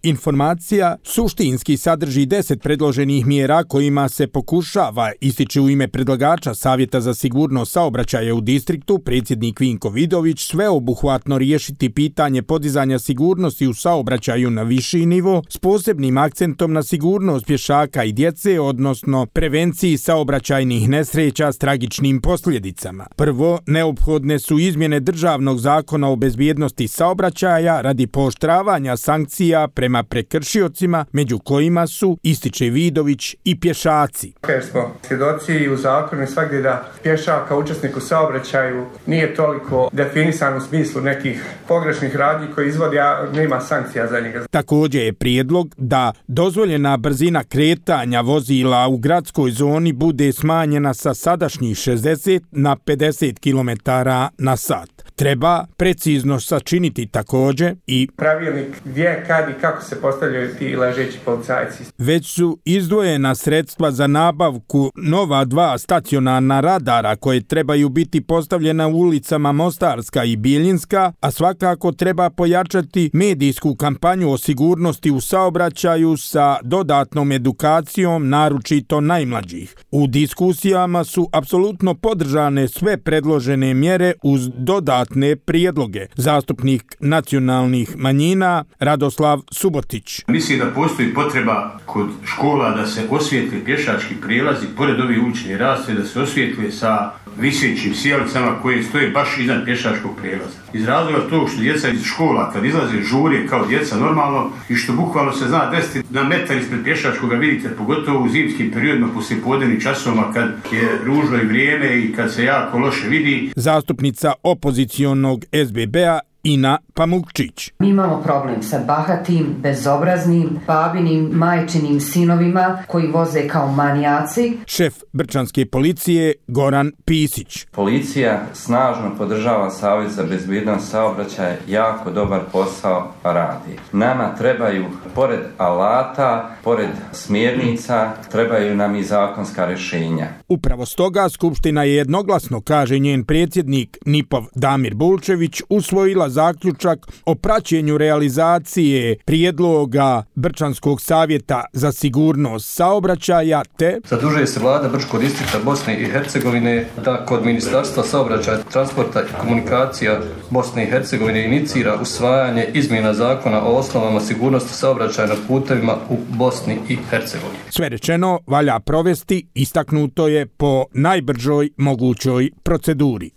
informacija suštinski sadrži 10 predloženih mjera kojima se pokušava, ističe u ime predlagača Savjeta za sigurnost saobraćaja u distriktu, predsjednik Vinko Vidović, sveobuhvatno riješiti pitanje podizanja sigurnosti u saobraćaju na viši nivo s posebnim akcentom na sigurnost pješaka i djece, odnosno prevenciji saobraćajnih nesreća s tragičnim posljedicama. Prvo, neophodne su izmjene državnog zakona o bezbjednosti saobraćaja radi pooštravanja sankcija prema prekršiocima, među kojima su, ističe Vidović, i pješaci. Jer smo svjedoci u zakonu i svakdje da pješak kao učesnik u saobraćaju nije toliko definisan u smislu nekih pogrešnih radnji koji izvodi, a nema sankcija za njega. Također je prijedlog da dozvoljena brzina kretanja vozila u gradskoj zoni bude smanjena sa sadašnjih 60 na 50 km na sat. Treba precizno sačiniti također i pravilnik gdje, kad i kako se postavljaju ti ležeći policajci. Već su izdvojena sredstva za nabavku nova 2 stacionarna radara koje trebaju biti postavljena u ulicama Mostarska i Bijeljinska, a svakako treba pojačati medijsku kampanju o sigurnosti u saobraćaju sa dodatnom edukacijom, naročito najmlađih. U diskusijama su apsolutno podržane sve predložene mjere uz dodatne prijedloge. Zastupnik nacionalnih manjina Radoslav Subotić. Mislim da postoji potreba kod škola da se osvijetli pješački prijelazi pored ovih uličnih rasvjeta, da se osvijetli sa visećim sjelicama koje stoje baš iznad pješačkog prijelaza. Iz razloga to što djeca iz škola kad izlaze žurije kao djeca normalno i što bukvalno se zna desiti na metar ispred pješačkoga vidite, pogotovo u zimskim periodima poslije podnevnih časova kad je ružno i vrijeme i kad se jako loše vidi. Zastupnica opozicionog SBB-a Ina Pamukčić. Mi imamo problem sa bahatim, bezobraznim, babinim, majčinim sinovima koji voze kao manijaci. Šef brčanske policije Goran Pisić. Policija snažno podržava Savjet za bezbjednost saobraćaja, jako dobar posao radi. Nama trebaju, pored alata, pored smjernica, trebaju nam i zakonska rješenja. Upravo stoga Skupština je jednoglasno, kaže njen predsjednik NIP-ov Damir Bulčević, usvojila zaključak o praćenju realizacije prijedloga Brčanskog savjeta za sigurnost saobraćaja te zadužuje se vlada Brčkog distrikta Bosne i Hercegovine da kod Ministarstva saobraćaja, transporta i komunikacija Bosne i Hercegovine inicira usvajanje izmjena zakona o osnovama sigurnosti saobraćaja na putevima u Bosni i Hercegovini. Sve rečeno valja provesti, istaknuto je, po najbržoj mogućoj proceduri.